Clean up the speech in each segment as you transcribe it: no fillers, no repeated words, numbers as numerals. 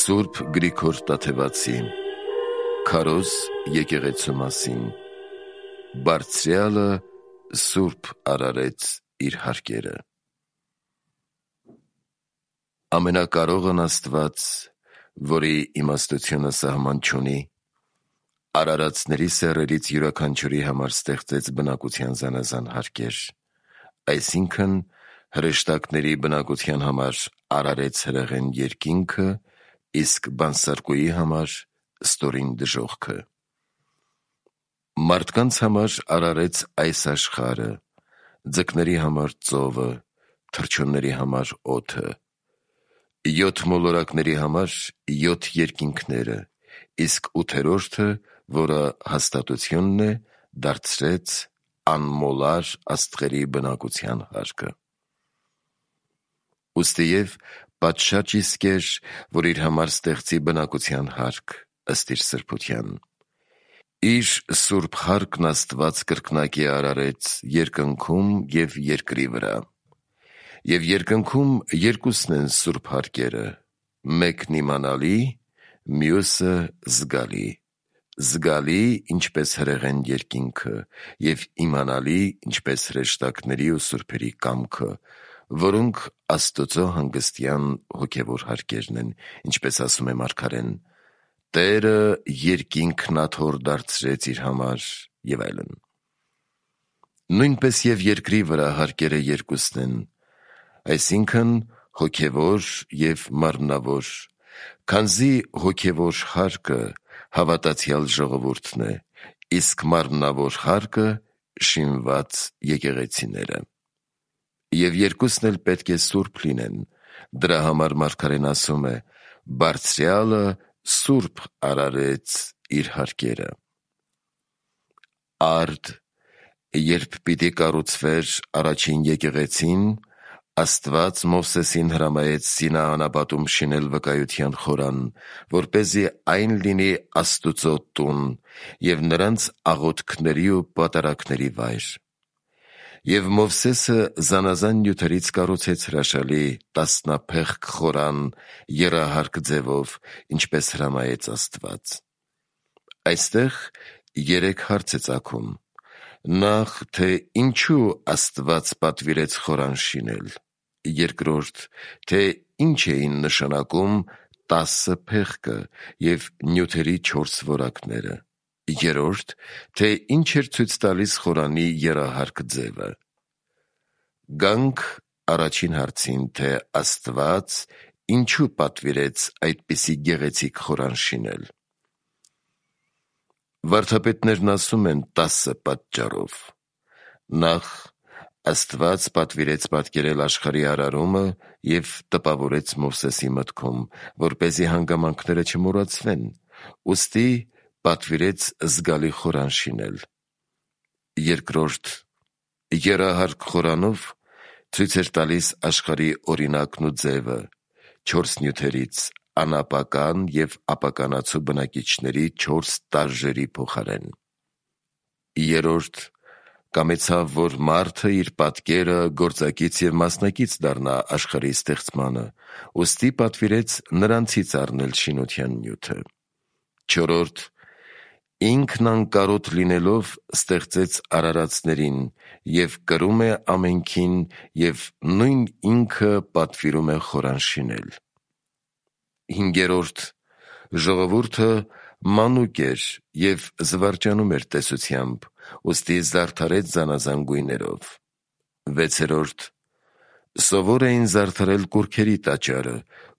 Սուրբ Գրիգոր Տաթևացի Քարոզ եկեղեցու մասին Բարձրյալը Սուրբ արարեց իր հարկերը Ամենակարողն Աստված, որի իմաստությունը սահման չունի, արարածների սեռերից յուրաքանչյուրի համար ստեղծեց բնակության զանազան հարկեր, այսինքն հրեշտակների բնակության համար արարեց հրեղեն երկինքը, իսկ բանսարկուի համար ստորին դժոխքը։ Մարդկանց համար արարեց այս աշխարհը, ձկների համար ծովը, թռչունների համար օդը, 7 մոլորակների համար 7 երկինքները, իսկ 8-րդը, որը հաստատությունն է, դարձրեց անմոլար աստղերի բնակության հարկը։ Ուստիև պատշաճ իսկ էր, որ իր համար ստեղծի բնակության հարկ ըստ իր սրբության։ Իր սուրբ հարկն Աստված կրկնակի արարեց երկնքում և երկրի վրա։ Եվ երկնքում երկուսն են սուրբ հարկերը, մեկն իմանալի, մյուսը զգալի, զգալի, ինչպես հրեղեն երկինքը, և իմանալի, ինչպես հրեշտակների ու սուրբերի կամքը, որոնք Աստծո հանգստյան հոգևոր հարկերն են, ինչպես ասում է մարգարեն. Տերը երկինքն աթոռ դարձրեց իր համար և այլն։ Նույնպես և երկրի վրա հարկերը երկուսն են, այսինքն հոգևոր և մարմնավոր, քանզի հոգևոր հարկը հավատացյալ ժողովուրդն է, իսկ մարմնավոր հարկը շինված եկեղեցիները։ Եվ երկուսն էլ պետք է սուրբ լինեն, դրա համար մարգարեն ասում է. Բարձրյալը սուրբ արարեց իր հարկերը։ Արդ, երբ պիտի կառուցվեր առաջին եկեղեցին, Աստված Մովսեսին հրամայեց Սինա անապատում շինել վկայության խորան, որպեսզի այն լինի Աստուծո տուն և նրանց աղոթքների ու պատարագների վայր։ Եվ Մովսեսը զանազան նյութերից կառուցեց հրաշալի տասնափեղկ խորան եռահարկ ձևով, ինչպես հրամայեց Աստված։ Այստեղ 3 հարց է ծագում. Նախ, թե ինչու Աստված պատվիրեց խորան շինել, երկրորդ, թե ինչ էին նշանակում 10 փեղկը և նյութերի 4 որակները, երրորդ, թե ինչ էր ցույց տալիս խորանի եռահարկ ձևը։ Գանք առաջին հարցին, թե Աստված ինչու պատվիրեց այդպիսի գեղեցիկ խորան շինել։ Վարդապետներն ասում են 10 պատճառով։ Նախ, Աստված պատվիրեց պատկերել աշխարհի արարումը և տպավորեց Մովսեսի մտքում, որպեսզի հանգամանքները չմոռացվեն, ուստի պատվիրեց զգալի խորան շինել։ Երկրորդ, եռահարկ խորանով ցույց էր տալիս աշխարհի օրինակն ու ձևը 4 նյութերից, անապական և ապականացու բնակիչների 4 տարրերի փոխարեն։ Երրորդ, կամեցավ, որ մարդը իր պատկերը, գործակից և մասնակից դառնա աշխարհի ստեղծմանը, ուստի պատվիրեց նրանցից առնել շինության նյութը։ Չորրորդ, ինքն անկարոտ լինելով ստեղծեց արարածներին և կրում է ամենքին և նույն ինքը պատվիրում է խորան շինել։ Հինգերորդ, ժողովուրդը մանուկ էր և զվարճանում էր տեսությամբ, ուստի զարդարեց զանազան գույներով։ Վեցերորդ, սովոր էին զարդարել կուռքերի տաճարը,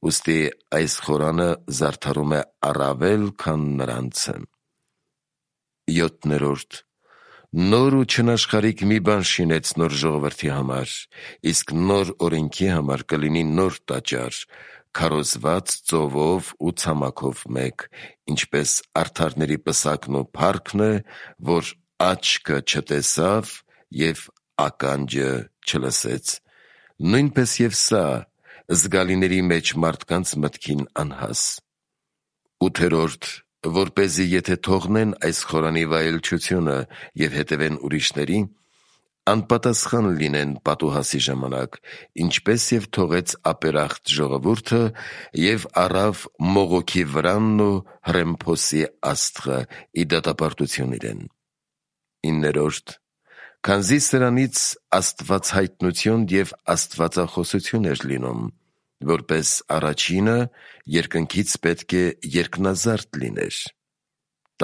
ուստի այս խորանը զարդարում է առավել, քան նրանցը։ Յոթներորդ, նոր ու չնաշխարհիկ մի բան շինեց նոր ժողովրդի համար, իսկ նոր օրենքի համար կլինի նոր տաճար, քարոզված ծովով ու ցամաքով մեկ, ինչպես արդարների պսակն ու փառքն է, որ աչքը չտեսավ և ականջը չլսեց, նույնպես և սա զգալիների մեջ մարդկանց մտքին անհաս։ Ութերորդ, որպեսզի եթե թողնեն այս խորանի վայելչությունը և հետևեն ուրիշների, անպատասխան լինեն պատուհասի ժամանակ, ինչպես և թողեց ապերախտ ժողովուրդը և առավ մողոքի վրանն ու հռեմփոսի աստղը ի դատապարտություն իրեն։ 9. Քանզի սրանից աստվածհայտնություն և աստվածախոսություն էր լինում, որպես առաջինը երկնքից պետք է երկնազարդ լիներ։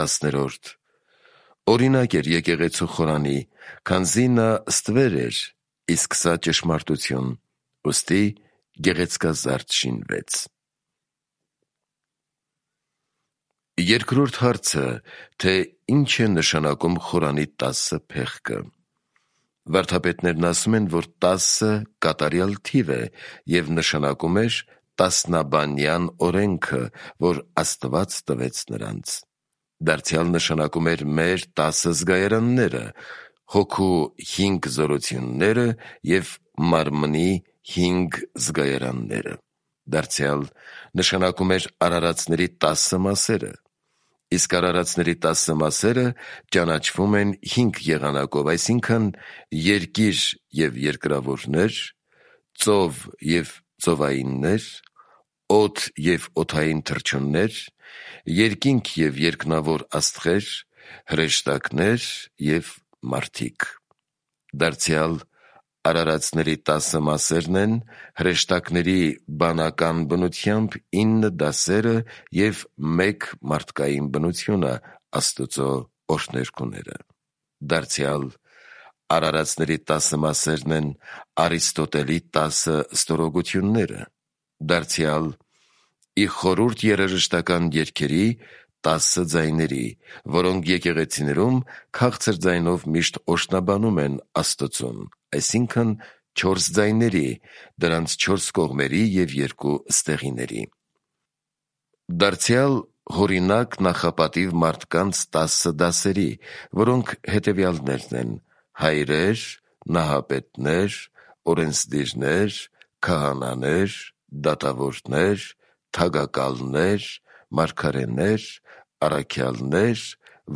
10. Օրինակ էր եկեղեցու խորանի, քանզի նա ստվեր էր, իսկ սա ճշմարտություն, ուստի գեղեցկազարդ շինվեց։ Երկրորդ հարցը, թե ինչ է նշանակում խորանի 10 փեղկը։ Վարդապետներն ասում են, որ 10 կատարյալ թիվ է և նշանակում էր տասնաբանյան օրենքը, որ Աստված տվեց նրանց։ Դարձյալ նշանակում էր մեր 10 զգայարանները, հոգու 5 զորությունները և մարմնի 5 զգայարանները։ Դարձյալ նշանակում էր արարածների 10 մասերը, իսկ արարածների 10 մասերը ճանաչվում են 5 եղանակով, այսինքն երկիր և երկրավորներ, ծով և ծովայիններ, օդ և օդային թռչուններ, երկինք և երկնավոր աստղեր, հրեշտակներ և մարդիկ։ Դարձյալ արարածների 10 մասերն են հրեշտակների բանական բնությամբ 9 դասերը և 1 մարդկային բնությունը, Աստծո օրհներգուները։ Դարձյալ արարածների 10 մասերն են Արիստոտելի 10 ստորոգությունները։ Դարձյալ ի խորհուրդ երաժշտական երգերի 10 ձայների, որոնք եկեղեցիներում քաղցր ձայնով միշտ օրհնաբանում են Աստծուն, այսինքն 4 ձայների, դրանց 4 կողմերի և 2 ստեղիների։ Դարձյալ հորինակ նախապատիվ մարդկանց 10 դասերի, որոնք հետևյալներն են. հայրեր, նահապետներ, օրենսդիրներ, քահանաներ, դատավորներ, թագակալներ, մարգարեներ, առաքյալներ,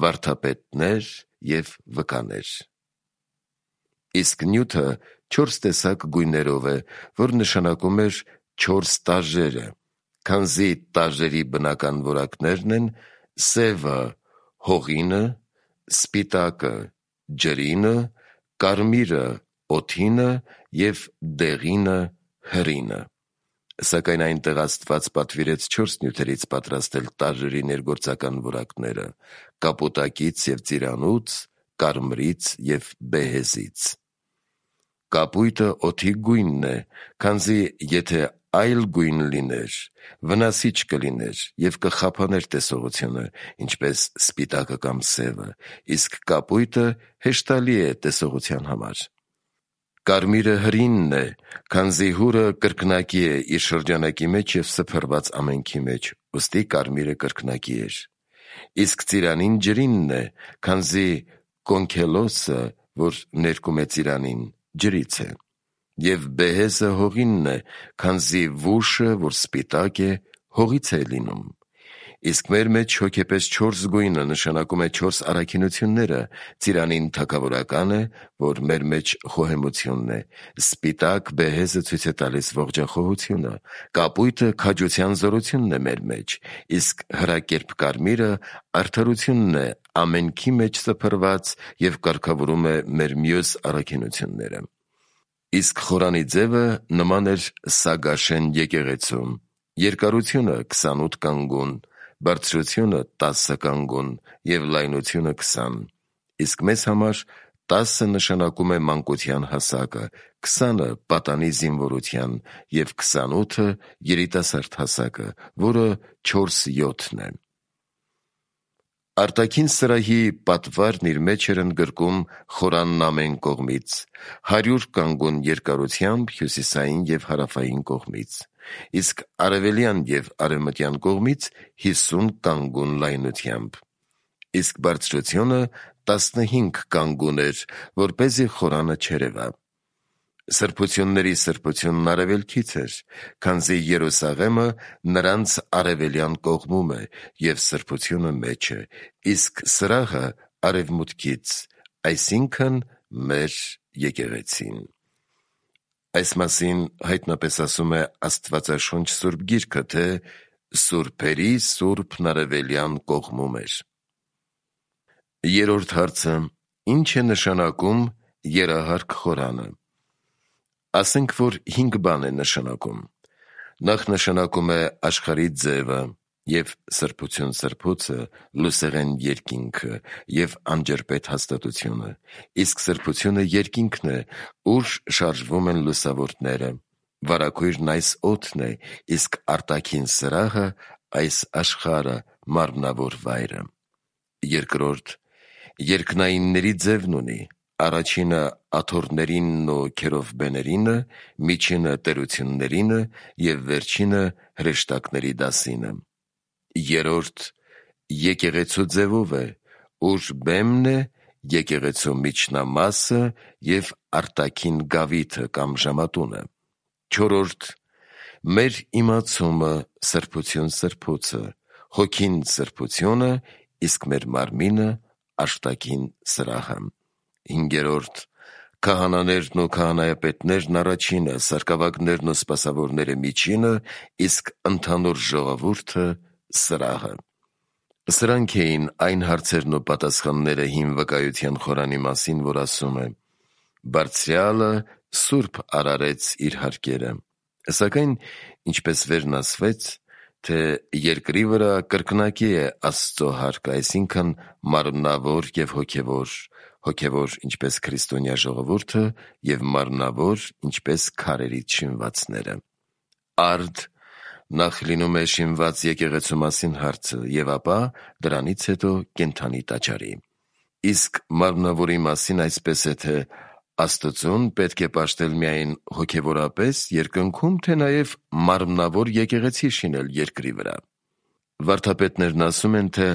վարդապետներ և վկաներ։ Իսկ նյութը 4 տեսակ գույներով է, որ նշանակում էր 4 տաժերը, քանզի տաժերի բնական որակներն են սևը հողինը, սպիտակը ջրինը, կարմիրը օդինը և դեղինը հրինը։ Սակայն այնտեղ Աստված պատվիրեց 4 նյութերից պատրաստել տաժերի ներգործական որակները՝ կապուտակից և ծիրանուց, կարմրից և բեհեզից։ Կապույտը օդի գույնն է, քանզի եթե այլ գույն լիներ, վնասիչ կլիներ և կխափաներ տեսողությունը, ինչպես սպիտակը կամ սևը, իսկ կապույտը հեշտալի է տեսողության համար։ Կարմիրը հրինն է, քանզի հուրը կրկնակի է իր շրջանակի մեջ և սփռված ամենքի մեջ, ուստի կարմիրը կրկնակի էր։ Իսկ ծիրանին ջրինն է, քանզի կոնքելոսը, որ ներկում է ծիրանին, ջրից է։ Եվ բեհեզը հողինն է, քանզի վուշը, որ սպիտակ է, հողից է լինում։ Իսկ մեր մեջ հոգեպես 4 գույնը նշանակում է 4 առաքինությունները. ծիրանին թագավորական է, որ մեր մեջ խոհեմությունն է, սպիտակ բեհեզը ցույց է տալիս ողջախոհությունը, կապույտը քաջության զորությունն է մեր մեջ, իսկ հրակերպ կարմիրը արդարությունն է ամենքի մեջ սփռված և կարգավորում է մեր մյուս առաքինությունները։ Իսկ խորանի ձևը նման էր Սագաշեն եկեղեցուն. երկարությունը 28 կանգուն, բարձրությունը 10 կանգուն և լայնությունը 20, իսկ մեզ համար 10 նշանակում է մանկության հասակը, 20-ը պատանի զինվորության և 28-ը երիտասարդ հասակը, որը 4/7 է։ Արտաքին սրահի պատվարն իր մեջ էր ընդգրկում խորանն ամեն կողմից, 100 կանգուն երկարությամբ հյուսիսային և հարավային կողմից, իսկ արևելյան և արևմտյան կողմից 50 կանգուն լայնությամբ, իսկ բարձրությունը 15 կանգուն էր, որպեսզի խորանը չերևա։ Սրբությունների սրբությունն արևելքից էր, քանզի Երուսաղեմը նրանց արևելյան կողմում է, և սրբությունը մեջը, իսկ սրահը արևմուտքից, այսինքն մեր եկեղեցին։ Այս մասին հայտնապես ասում է Աստվածաշունչ Սուրբ Գիրքը, թե սուրբերի սուրբն արևելյան կողմում էր։ Երրորդ հարցը. ինչ է նշանակում երահարկ խորանը։ Ասենք, որ 5 բան է նշանակում։ Նախ նշանակում է աշխարհի ձևը և սրբություն սրբոցը, լուսեղեն երկինքը և անջրպետ հաստատությունը, իսկ սրբությունը երկինքն է, ուր շարժվում են լուսավորները, վարագույրն այս օդն է, իսկ արտաքին սրահը այս աշխարհը, մարմնավոր վայրը։ Երկրորդ, երկնայինների ձևն ունի, առաջինը աթոռներինն ու քերովբեներինը, միջինը տերություններինը և վերջինը հրեշտակների դասինը։ Երրորդ, եկեղեցու ձևով է, ուր բեմն է եկեղեցու միջնամասը և արտաքին գավիթը կամ ժամատունը։ Չորրորդ, մեր իմացումը սրբություն սրբոցը, հոգին սրբությունը, իսկ մեր մարմինը աշտաքին սրահը։ Հինգերորդ, քահանաներն ու քահանայապետներն առաջինը, սարկավագներն ու սպասավորները միջինը, իսկ ընդհանուր ժողովուրդը սրահը։ Սրանք էին այն հարցերն ու պատասխանները հին վկայության խորանի մասին, որ ասում է. «Բարձրյալը սուրբ արարեց իր հարկերը», սակայն, ինչպես վերն ասվեց, թե երկրի վրա կրկնակի է Աստծո հարկը, այսինքն մարմնավոր և հոգևոր, հոգևոր ինչպես քրիստոնյա ժողովուրդը և մարմնավոր ինչպես քարերից շինվածները։ Արդ նախ լինում է շինված եկեղեցու մասին հարցը և ապա դրանից հետո կենդանի տաճարի։ Իսկ մարմնավորի մասին այսպես է, թե Աստծուն պետք է պաշտել միայն հոգևորապես երկնքում, թե նաև մարմնավոր եկեղեցի շինել երկրի վրա։ Վարդապետներն ասում են, թե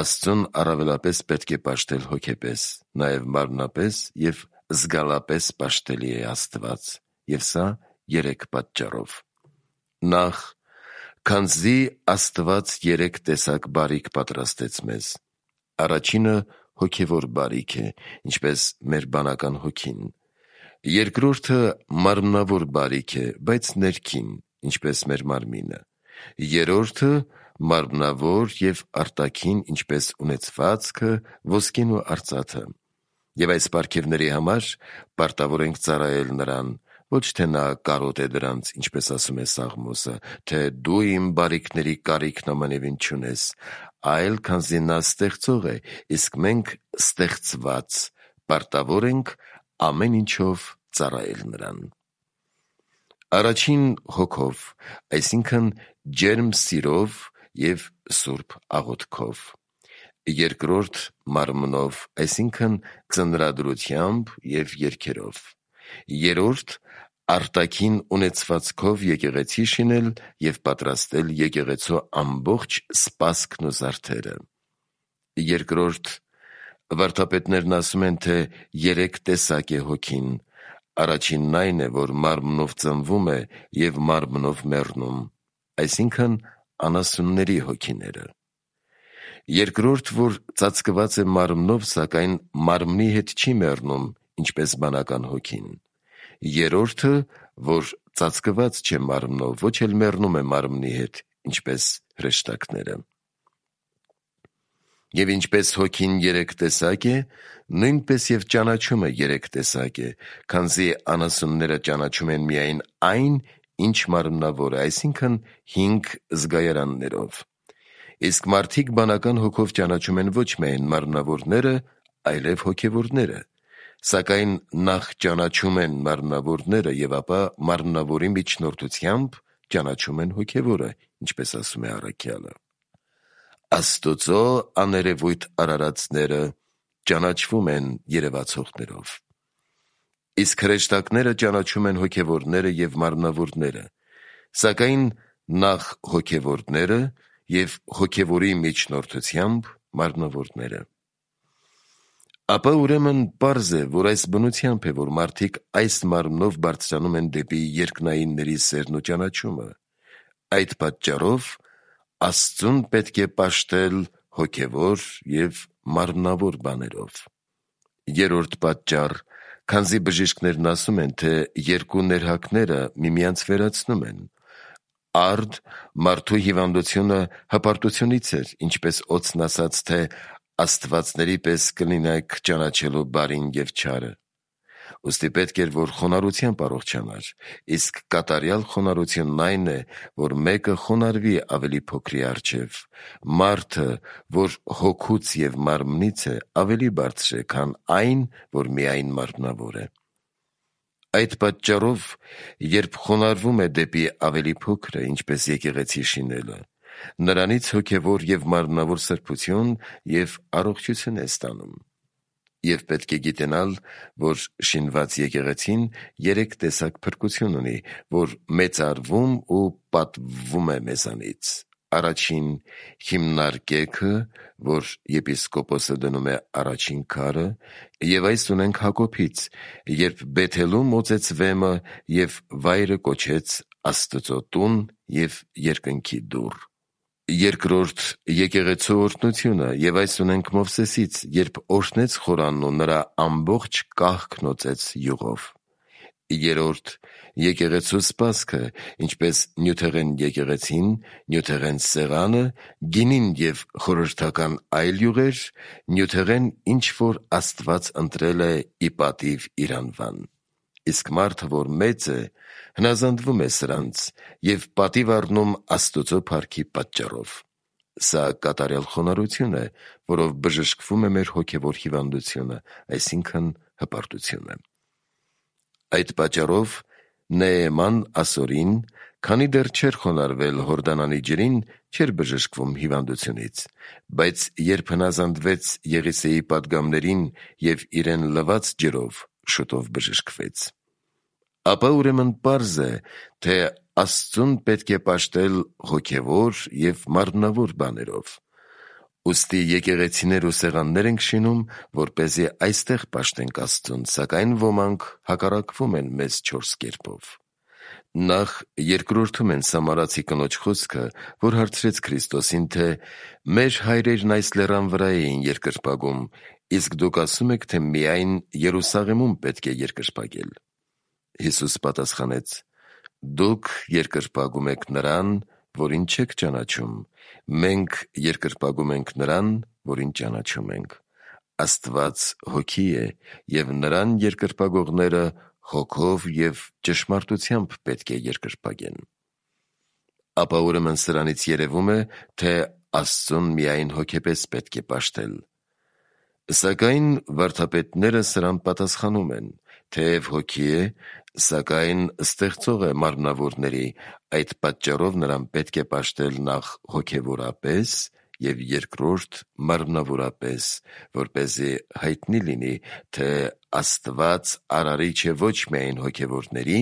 Աստծուն առավելապես պետք է պաշտել հոգեպես, նաև մարմնապես և զգալապես պաշտելի է Աստված, և սա 3 պատճառով։ Նախ, քանզի Աստված 3 տեսակ բարիք պատրաստեց մեզ։ Առաջինը հոգևոր բարիք է, ինչպես մեր բանական հոգին։ Երկրորդը մարմնավոր բարիք է, բայց ներքին, ինչպես մեր մարմինը։ Երրորդը մարմնավոր և արտաքին, ինչպես ունեցվածքը, ոսկին ու արծաթը։ Եվ այս պարգևների համար պարտավոր ենք ծառայել նրան, ոչ թե նա կարոտ է դրանց, ինչպես ասում է Սաղմոսը, թե դու իմ բարիքների կարիքն ամանևին չունես, այլ քանզի նա ստեղծող է, իսկ մենք ստեղծված, պարտավոր ենք ամեն ինչով ծառայել նրան։ Առաջին հոգով, այսինքն ջերմ սիրով և սուրբ աղոթքով։ Երկրորդ մարմնով, այսինքն ծննդրությամբ և երգերով։ Երրորդ արտաքին ունեցվածքով եկեղեցի շինել և պատրաստել եկեղեցու ամբողջ սպասքն ու զարդերը։ Երկրորդ, վարդապետներն ասում են, թե 3 տեսակ է հոգին։ Առաջինն այն է, որ մարմնով ծնվում է և մարմնով մեռնում, այսինքն անասունների հոգիները։ Երկրորդ, որ ծածկված է մարմնով, սակայն մարմնի հետ չի մեռնում, ինչպես բանական հոգին։ Երրորդը, որ ծածկված չէ մարմնով, ոչ էլ մեռնում է մարմնի հետ, ինչպես հրեշտակները։ Եվ ինչպես հոգին 3 տեսակ է, նույնպես և ճանաչումը 3 տեսակ է, քանզի անասունները ճանաչում են միայն այն, ինչ մարմնավոր է, այսինքն 5 զգայարաններով։ Իսկ մարդիկ բանական հոգով ճանաչում են ոչ միայն մարմնավորները, այլև հոգևորները, սակայն նախ ճանաչում են մարմնավորները և ապա մարմնավորի միջնորդությամբ ճանաչում են հոգևորը, ինչպես ասում է առաքյալը։ Աստծո աներևույթ արարածները ճանաչվում են երևացողներով։ Իսկ հրեշտակները ճանաչում են հոգևորները և մարմնավորները, սակայն նախ հոգևորները և հոգևորի միջնորդությամբ մարմնավորները։ Ապա ուրեմն պարզ է, որ այս բնությամբ է, որ մարդիկ այս մարմնով բարձրանում են դեպի երկնայինների սերն ու ճանաչումը։ Այդ պատճառով Աստծուն պետք է պաշտել հոգևոր և մարմնավոր բաներով։ Երրորդ պատճառ, Քանզի բժիշկներն ասում են, թե երկու ներհակները միմյանց վերացնում են։ Արդ մարդու հիվանդությունը հպարտությունից էր, ինչպես օծն ասաց, թե աստվածների պես կլինեք ճանաչելու բարին և չարը։ Ուստի պետք էր, որ խոնարհությամբ առողջանար, իսկ կատարյալ խոնարհությունն այն է, որ մեկը խոնարհվի ավելի փոքրի առջև։ Մարդը, որ հոգուց և մարմնից է, ավելի բարձր է, քան այն, որ միայն մարմնավոր է։ Այդ պատճառով, երբ խոնարհվում է դեպի ավելի փոքրը, ինչպես եկեղեցի շինելը, նրանից հոգևոր և մարմնավոր սրբություն և առողջություն է ստանում։ Եվ պետք է գիտենալ, որ շինված եկեղեցին 3 տեսակ փրկություն ունի, որ մեծարվում ու պատվվում է մեզանից։ Առաջին հիմնարկեքը, որ եպիսկոպոսը դնում է առաջին քարը, և այս ունենք Հակոբից, երբ Բեթելում օծեց վեմը և վայրը կոչեց Աստծո տուն և երկնքի դուռ։ Երկրորդ եկեղեցու օրհնությունը, և այս ունենք Մովսեսից, երբ օրհնեց խորանն ու նրա ամբողջ կահքն օծեց յուղով։ Երրորդ եկեղեցու սպասքը, ինչպես նյութեղեն եկեղեցին, նյութեղեն սեղանը, գինին և խորհրդական այլ յուղեր, նյութեղեն ինչ որ Աստված ընտրել է ի պատիվ իր անվան։ Իսկ մարդը, որ մեծ է, հնազանդվում է սրանց և պատիվ առնում Աստուծո փառքի պատճառով։ Սա կատարյալ խոնարհություն է, որով բժշկվում է մեր հոգևոր հիվանդությունը, այսինքն հպարտությունը։ Այդ պատճառով Նեեման ասորին, քանի դեռ չէր խոնարհվել Հորդանանի ջրին, չէր բժշկվում հիվանդությունից, բայց երբ հնազանդվեց Եղիսեի պատգամներին և իրեն լված ջրով, շուտով բժշկվեց։ Ապա ուրեմն պարզ է, թե Աստծուն պետք է պաշտել հոգևոր և մարմնավոր բաներով։ Ուստի եկեղեցիներ ու սեղաններ ենք շինում, որպեսզի այստեղ պաշտենք Աստծուն, սակայն ոմանք հակառակվում են մեզ 4 կերպով։ Նախ երկրորդում են Սամարացի կնոջ խոսքը, որ հարցրեց Քրիստոսին, թե մեր հայրերն այս լեռան վրա էին երկրպագում, իսկ դուք ասում եք, թե միայն Երուսաղեմում պետք է երկրպագել։ Հիսուս պատասխանեց. դուք երկրպագում եք նրան, որին չեք ճանաչում, մենք երկրպագում ենք նրան, որին ճանաչում ենք։ Աստված հոգի է, և նրան երկրպագողները հոգով և ճշմարտությամբ պետք է երկրպագեն։ Ապա ուրեմն սրանից երևում է, թե Աստծուն միայն հոգեպես պետք է պաշտել։ Սակայն վարդապետները սրան պատասխանում են, թեև հոգի է, սակայն ստեղծող է մարմնավորների, այդ պատճառով նրան պետք է պաշտել նախ հոգևորապես և երկրորդ մարմնավորապես, որպեսզի հայտնի լինի, թե Աստված արարիչ է ոչ միայն հոգևորների,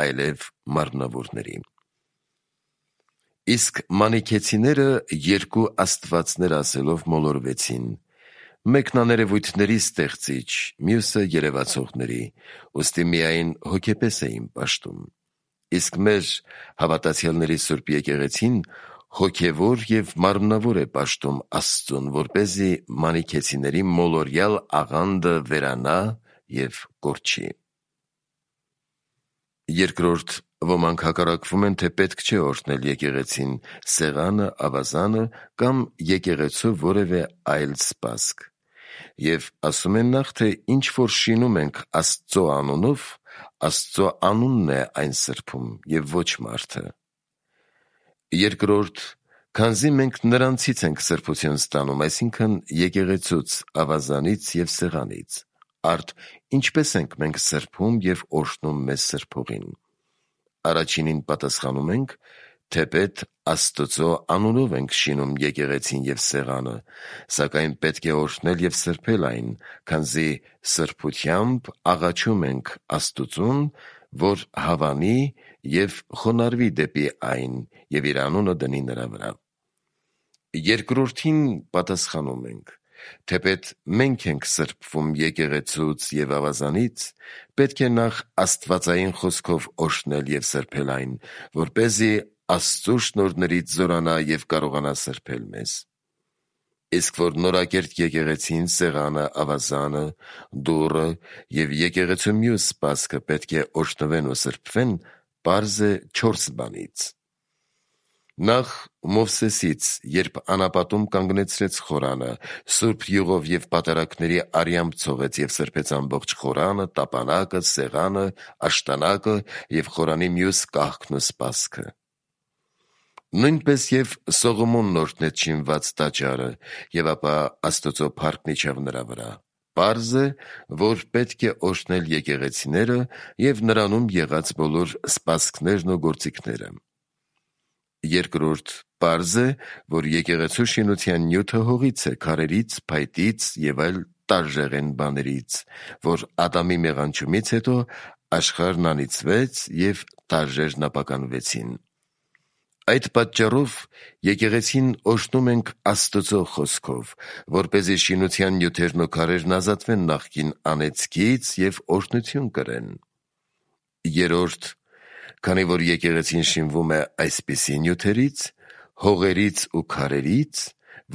այլև մարմնավորների։ Իսկ մանիքեցիները երկու աստվածներ ասելով մոլորվեցին. մեկն աներևույթների ստեղծիչ, մյուսը երևացողների, ուստի միայն հոգեպես էին պաշտում։ Իսկ մեր հավատացյալների Սուրբ եկեղեցին հոգևոր և մարմնավոր է պաշտում Աստծուն, որպեսզի մանիքեցիների մոլորյալ աղանդը վերանա և կորչի։ Երկրորդ, ոմանք հակառակվում են, թե պետք չէ օրհնել եկեղեցին, սեղանը, ավազանը կամ եկեղեցու որևէ այլ սպասք։ Եվ ասում են նախ, թե ինչ որ շինում ենք Աստծո անունով, Աստծո անունն է այն սրբում և ոչ մարդը։ Երկրորդ, քանզի մենք նրանցից ենք սրբություն ստանում, այսինքն եկեղեցուց, ավազանից և սեղանից, արդ ինչպես ենք մենք սրբում և օրհնում մեզ սրբողին։ Առաջինին պատասխանում ենք, թեպետ Աստծո անունով ենք շինում եկեղեցին և սեղանը, սակայն պետք է օրհնել և սրբել այն, քանզի սրբությամբ աղաչում ենք Աստծուն, որ հավանի և խոնարհվի դեպի այն և իր անունը դնի նրա վրա։ Երկրորդին պատասխանում ենք, թեպետ մենք ենք սրբվում եկեղեցուց և ավազանից, պետք է նախ աստվածային խոսքով օրհնել և սրբել այն, որպեսզի Աստծո շնորհներից զորանա և կարողանա սրբել մեզ։ Իսկ որ նորակերտ եկեղեցին, սեղանը, ավազանը, դուռը և եկեղեցու մյուս սպասքը պետք է օժտվեն ու սրբվեն, պարզ է 4 բանից. Նախ Մովսեսից, երբ անապատում կանգնեցրեց խորանը, սուրբ յուղով և պատարագների արյամբ ցողեց և սրբեց ամբողջ խորանը, տապանակը, սեղանը, աշտանակը և խորանի մյուս կահքն ու սպասքը: Նույնպես և Սողոմոնն օրհնեց շինված տաճարը, և ապա Աստծո փառքն իջավ նրա վրա: Պարզ է, որ պետք է օրհնել եկեղեցիները և նրանում եղած բոլոր սպասքներն ու գործիքները: Երկրորդ, պարզ է, որ եկեղեցու շինության նյութը հողից է, քարերից, փայտից և այլ տարժեղեն բաներից, որ Ադամի մեղանչումից հետո աշխարհն անիծվեց և տարրերն ապականվեցին: Այդ պատճառով եկեղեցին օրհնում ենք Աստծո խոսքով, որպեսզի շինության նյութերն ու քարերն ազատվեն նախկին անեծքից և օրհնություն կրեն: Երրորդ, քանի որ եկեղեցին շինվում է այսպիսի նյութերից, հողերից ու քարերից,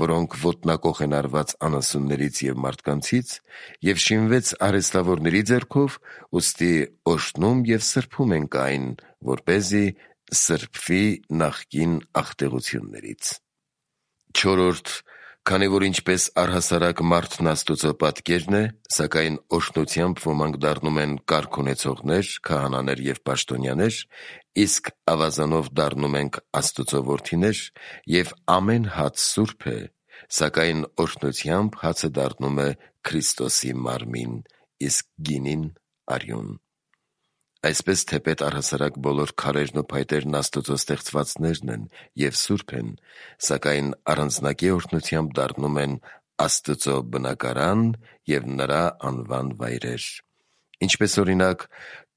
որոնք ոտնակոխ են արված անասուններից և մարդկանցից, և շինվեց արհեստավորների ձեռքով, ուստի օրհնում և սրբում ենք այն, որպեսզի սրբվի նախկին աղտեղություններից: Չորրորդ, քանի որ ինչպես առհասարակ մարդն Աստուծո պատկերն է, սակայն օրհնությամբ ոմանք դառնում են կարգ ունեցողներ, քահանաներ և պաշտոնյաներ, իսկ ավազանով դառնում ենք Աստուծո որդիներ, և ամեն հաց սուրբ է, սակայն օրհնությամբ հացը դառնում է Քրիստոսի մարմին, իսկ գինին՝ արյուն: Այսպես թեպետ առհասարակ բոլոր քարերն ու փայտերն Աստուծո ստեղծվածներն են և սուրբ են, սակայն առանձնակի օրհնությամբ դառնում են Աստծո բնակարան և նրա անվան վայրեր: Ինչպես օրինակ,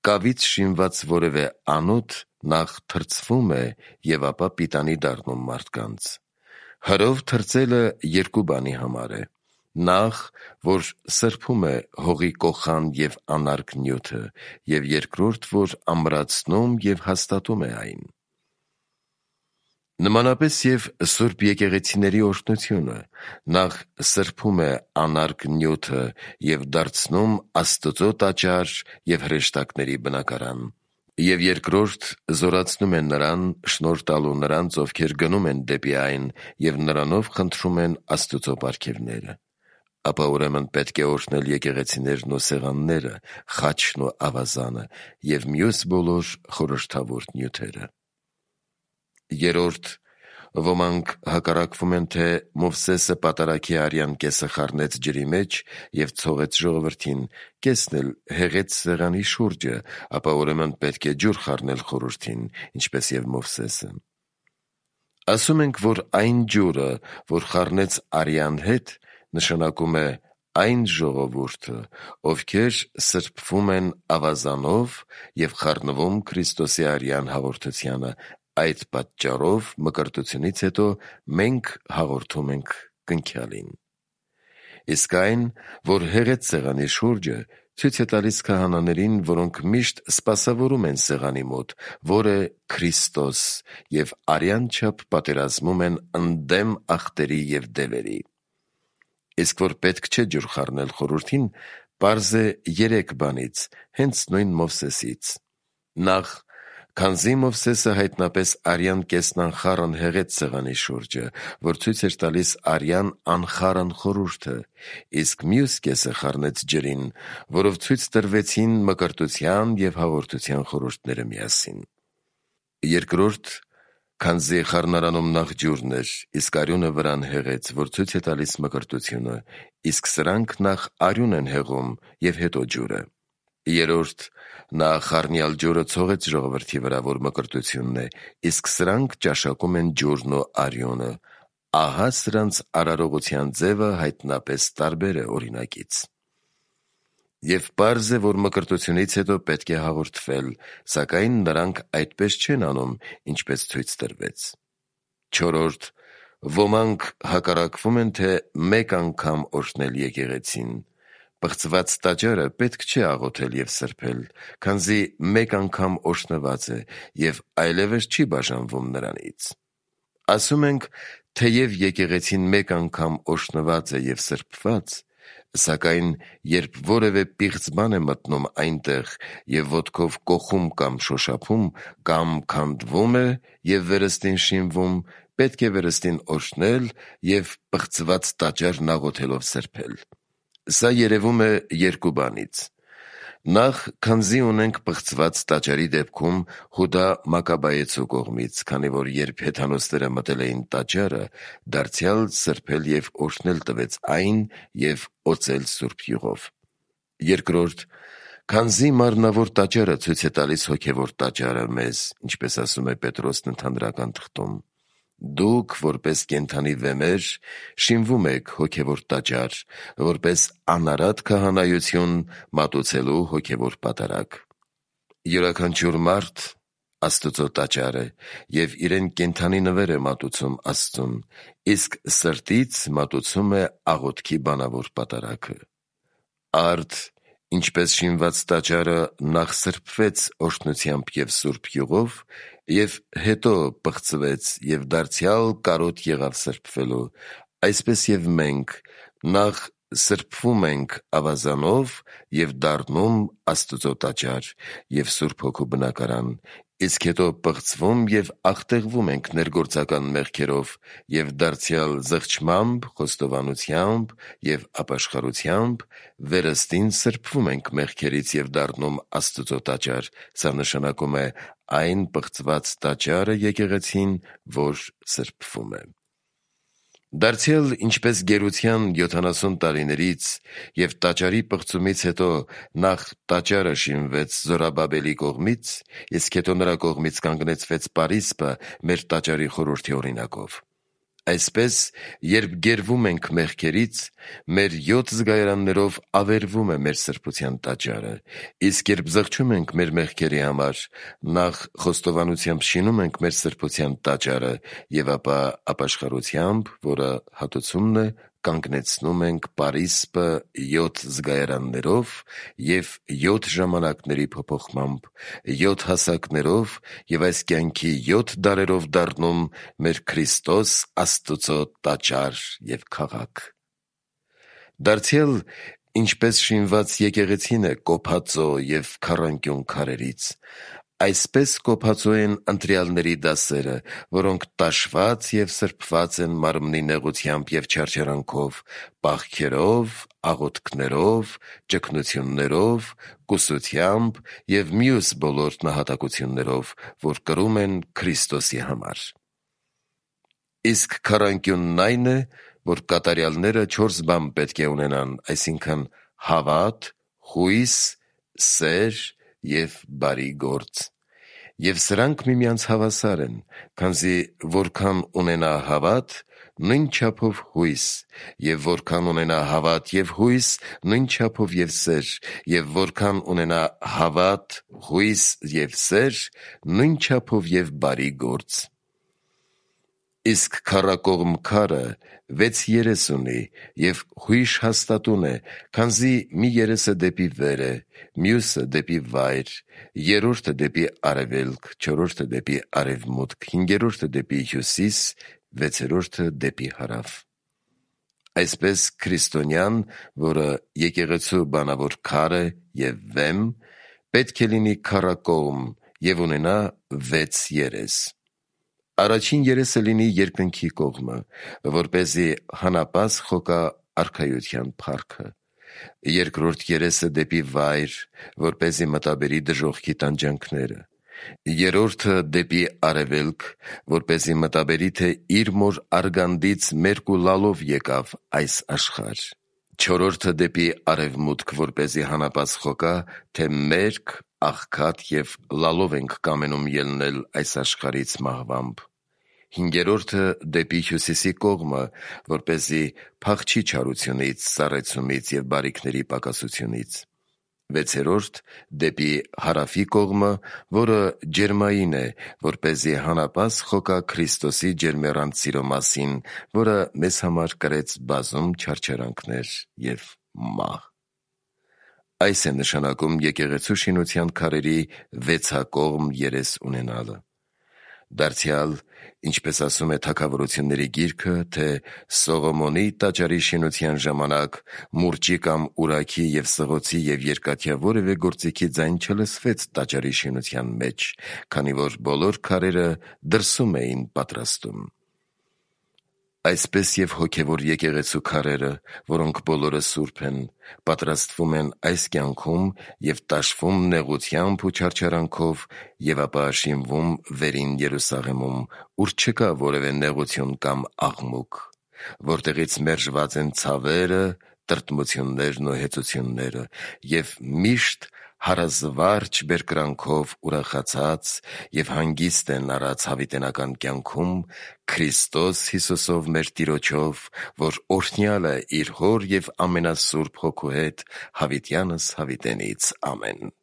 կավից շինված որևէ անոթ նախ թրծվում է և ապա պիտանի դառնում մարդկանց: Հրով թրծելը երկու բանի համար է: Նախ, որ սրբում է հողի կոխան և անարգ նյութը, և երկրորդ, որ ամրացնում և հաստատում է այն: Նմանապես և սուրբ եկեղեցիների օրհնությունը նախ սրբում է անարգ նյութը և դարձնում Աստծո տաճար և հրեշտակների բնակարան, և երկրորդ զորացնում է նրան, շնորհ տալու նրանց, ովքեր գնում են դեպի այն և նրանով խնդրում են Աստուծո պարգևները: Ապա ուրեմն պետք է օրհնել եկեղեցիներն ու սեղանները, խաչն ու ավազանը և մյուս բոլոր խորհրդավոր նյութերը: Երրորդ, ոմանք հակառակվում են, թե Մովսեսը պատարագի արյան կեսը խառնեց ջրի մեջ և ցողեց ժողովրդին, կեսն էլ հեղեց սեղանի շուրջը, ապա ուրեմն պետք է ջուր խառնել խորհրդին, ինչպես և Մովսեսը: Ասում ենք, որ այն ջուրը, որ խառնեց արյան հետ, նշանակում է այն ժողովուրդը, ովքեր սրբվում են ավազանով և խառնվում Քրիստոսի արյան հաղորդությանը, այդ պատճառով մկրտությունից հետո մենք հաղորդում ենք կնքյալին: Իսկ այն, որ հեղեց սեղանի շուրջը, ցույց է տալիս քահանաներին, որոնք միշտ սպասավորում են սեղանի մոտ, որ է Քրիստոս, և արյան չափ պատերազմում են ընդդեմ ախտերի և դևերի: Իսկ որ պետք չէ ջուր խառնել խորհրդին, պարզ է 3 բանից, հենց նույն Մովսեսից: Նախ, քանզի Մովսեսը հայտնապես արյան կեսն անխառն հեղեց սեղանի շուրջը, որ ցույց էր տալիս արյան անխառն խորհուրդը, իսկ մյուս կեսը խառնեց ջրին, որով ցույց տրվեցին մկրտության և հաղորդության խորհուրդները միասին: Երկրորդ, քանզի խառնարանում նախ ջուրն էր, իսկ արյունը վրան հեղեց, որ ցույց է տալիս մկրտությունը, իսկ սրանք նախ արյուն են հեղում և հետո ջուրը: Երրորդ, նա խառնյալ ջուրը ցողեց ժողովրդի վրա, որ մկրտությունն է, իսկ սրանք ճաշակում են ջուրն ու արյունը: Ահա սրանց արարողության ձևը հայտնապես տարբեր է օրինակից: Եվ պարզ է, որ մկրտությունից հետո պետք է հաղորդվել, սակայն նրանք այդպես չեն անում, ինչպես ցույց տրվեց: Չորրորդ, ոմանք հակառակվում են, թե մեկ անգամ օրհնել եկեղեցին: Պղծված տաճարը պետք չէ աղոթել և սրբել, քանզի մեկ անգամ օրհնված է և այլևս չի բաժանվում նրանից: Ասում ենք, թեև եկեղեցին մեկ անգամ օժտված է և սրբված, սակայն երբ որևէ պիղծ բան է մտնում այնտեղ և ոտքով կոխում կամ շոշափում կամ քանդվում է և վերստին շինվում, պետք է վերստին օժտել և պղծված տաճարն աղոթելով սրբել։ Սա երևում է երկու բանից. Նախ, քանզի ունենք պղծված տաճարի դեպքում Հուդա Մակաբայեցու կողմից, քանի որ երբ հեթանոսները մտել էին տաճարը, դարձյալ սրբել և օրհնել տվեց այն և օծել սուրբ յուղով։ Երկրորդ, քանզի մարմնավոր տաճարը ցույց է տալիս հոգևոր տաճարը մեզ, ինչպես ասում է Պետրոսն ընդհանրական թղթում. դուք, որպես կենդանի վեմեր, շինվում եք հոգևոր տաճար, որպես անարատ քահանայություն մատուցելու հոգևոր պատարագ։ Յուրաքանչյուր մարդ Աստծո տաճար է և իրեն կենդանի նվեր է մատուցում Աստծուն, իսկ սրտից մատուցում է աղոթքի բանավոր պատարագը։ Արդ, ինչպես շինված տաճարը նախ սրբվեց օրհնությամբ և սուրբ յուղով և հետո պղծվեց և դարձյալ կարոտ եղավ սրբվելու, այսպես և մենք նախ սրբվում ենք ավազանով և դառնում Աստծո տաճար և Սուրբ Հոգու բնակարան, իսկ հետո պղծվում և աղտեղվում ենք ներգործական մեղքերով և դարձյալ զղջմամբ, խոստովանությամբ և ապաշխարությամբ վերստին սրբվում ենք մեղքերից և դառնում Աստծո տաճար, սա նշանակում է այն պղծված տաճարը եկեղեցին, որ սրբվում է։ Դարձյալ ինչպես գերության 70 տարիներից և տաճարի պղծումից հետո նախ տաճարը շինվեց Զորաբաբելի կողմից, իսկ հետո նրա կողմից կանգնեցվեց պարիսպը մեր տաճարի խորհրդի օրինակով, այսպես երբ գերվում ենք մեղքերից, մեր 7 զգայարաններով ավերվում է մեր սրբության տաճարը, իսկ երբ զղջում ենք մեր մեղքերի համար, նախ խոստովանությամբ շինում ենք մեր սրբության տաճարը և ապա ապաշխարությամբ, որը հատուցումն է, կանգնեցնում ենք պարիսպը 7 զգայարաններով և 7 ժամանակների փոփոխմամբ, 7 հասակներով և այս կյանքի 7 դարերով դառնում մեր Քրիստոս Աստծո տաճար և քաղաք։ Դարձյալ ինչպես շինված եկեղեցին է կոփածո և քառանկյուն քարերից, այսպես կոփածո են ընտրյալների դասերը, որոնք տաշված և սրբված են մարմնի նեղությամբ և չարչարանքով, պահքերով, աղոթքներով, ճգնություններով, կուսությամբ և մյուս բոլոր նահատակություններով, որ կրում են Քրիստոսի համար։ Իսկ քառանկյունն այն է, որ կատարյալները 4 բան պետք է ունենան, այսինքն՝ հավատ, հույս, սեր և բարի գործ։ Եվ սրանք միմյանց հավասար են, քանզի որքան ունենա հավատ, նույն չափով հույս, և որքան ունենա հավատ և հույս, նույն չափով և սեր, և որքան ունենա հավատ, հույս և սեր, նույն չափով և բարի գործ։ Իսկ քառակողմ քարը 6 երես ունի և հույժ հաստատուն է, քանզի մի երեսը դեպի վեր է, մյուսը դեպի վայր, երրորդը դեպի արևելք, չորրորդը դեպի արևմուտք, հինգերորդը դեպի հյուսիս, վեցերորդը դեպի հարավ։ Այսպես քրիստոնյան, որը եկեղեցու բանավոր քար է և վեմ, պետք է լինի քառակողմ և ունենա 6 երես։ Առաջին երեսը լինի երկնքի կողմը, որպեսզի հանապազ խոկա արքայության փառքը, երկրորդ երեսը դեպի վայր, որպեսզի մտաբերի դժոխքի տանջանքները, երրորդը դեպի արևելք, որպեսզի մտաբերի, թե իր մոր արգանդից մերկ ու լալով եկավ այս աշխարհ, չորրորդը դեպի արևմուտք, որպեսզի հանապազ խոկա, թե մերկ, աղքատ և լալով ենք կամենում ելնել այս աշխարհից մահվամբ, հինգերորդը դեպի հյուսիսի կողմը, որպեսզի փախչի չարությունից, սառեցումից և բարիքների պակասությունից, վեցերորդ դեպի հարավի կողմը, որը ջերմային է, որպեսզի հանապազ խոկա Քրիստոսի ջերմեռանդ սիրո մասին, որը մեզ համար կրեց բազում չարչարանքներ և մահ։ Այս է նշանակում եկեղեցու շինության քարերի 6-ակողմ երես ունենալը։ Դարձյալ, ինչպես ասում է Թագավորությունների գիրքը, թե Սողոմոնի տաճարի շինության ժամանակ մուրճի կամ ուրաքի և սղոցի և երկաթյա որևէ գործիքի ձայն չլսվեց տաճարի շինության մեջ, քանի որ բոլոր քարերը դրսում էին պատրաստում։ Այսպես և հոգևոր եկեղեցու քարերը, որոնք բոլորը սուրբ են, պատրաստվում են այս կյանքում և տաշվում նեղությամբ ու չարչարանքով և ապա շինվում վերին Երուսաղեմում, ուր չկա որևէ նեղություն կամ աղմուկ, որտեղից մերժված են ցավերը, տրտմություններն ու հեծությունները և միշտ հարազվարչ բերկրանքով ուրախացած և հանգիստ են առած հավիտենական կյանքում Քրիստոս Հիսուսով մեր Տիրոջով, որ օրհնյալ է իր Հոր և ամենասուրբ Հոգու հետ, հավիտյանս հավիտենից։ Ամեն։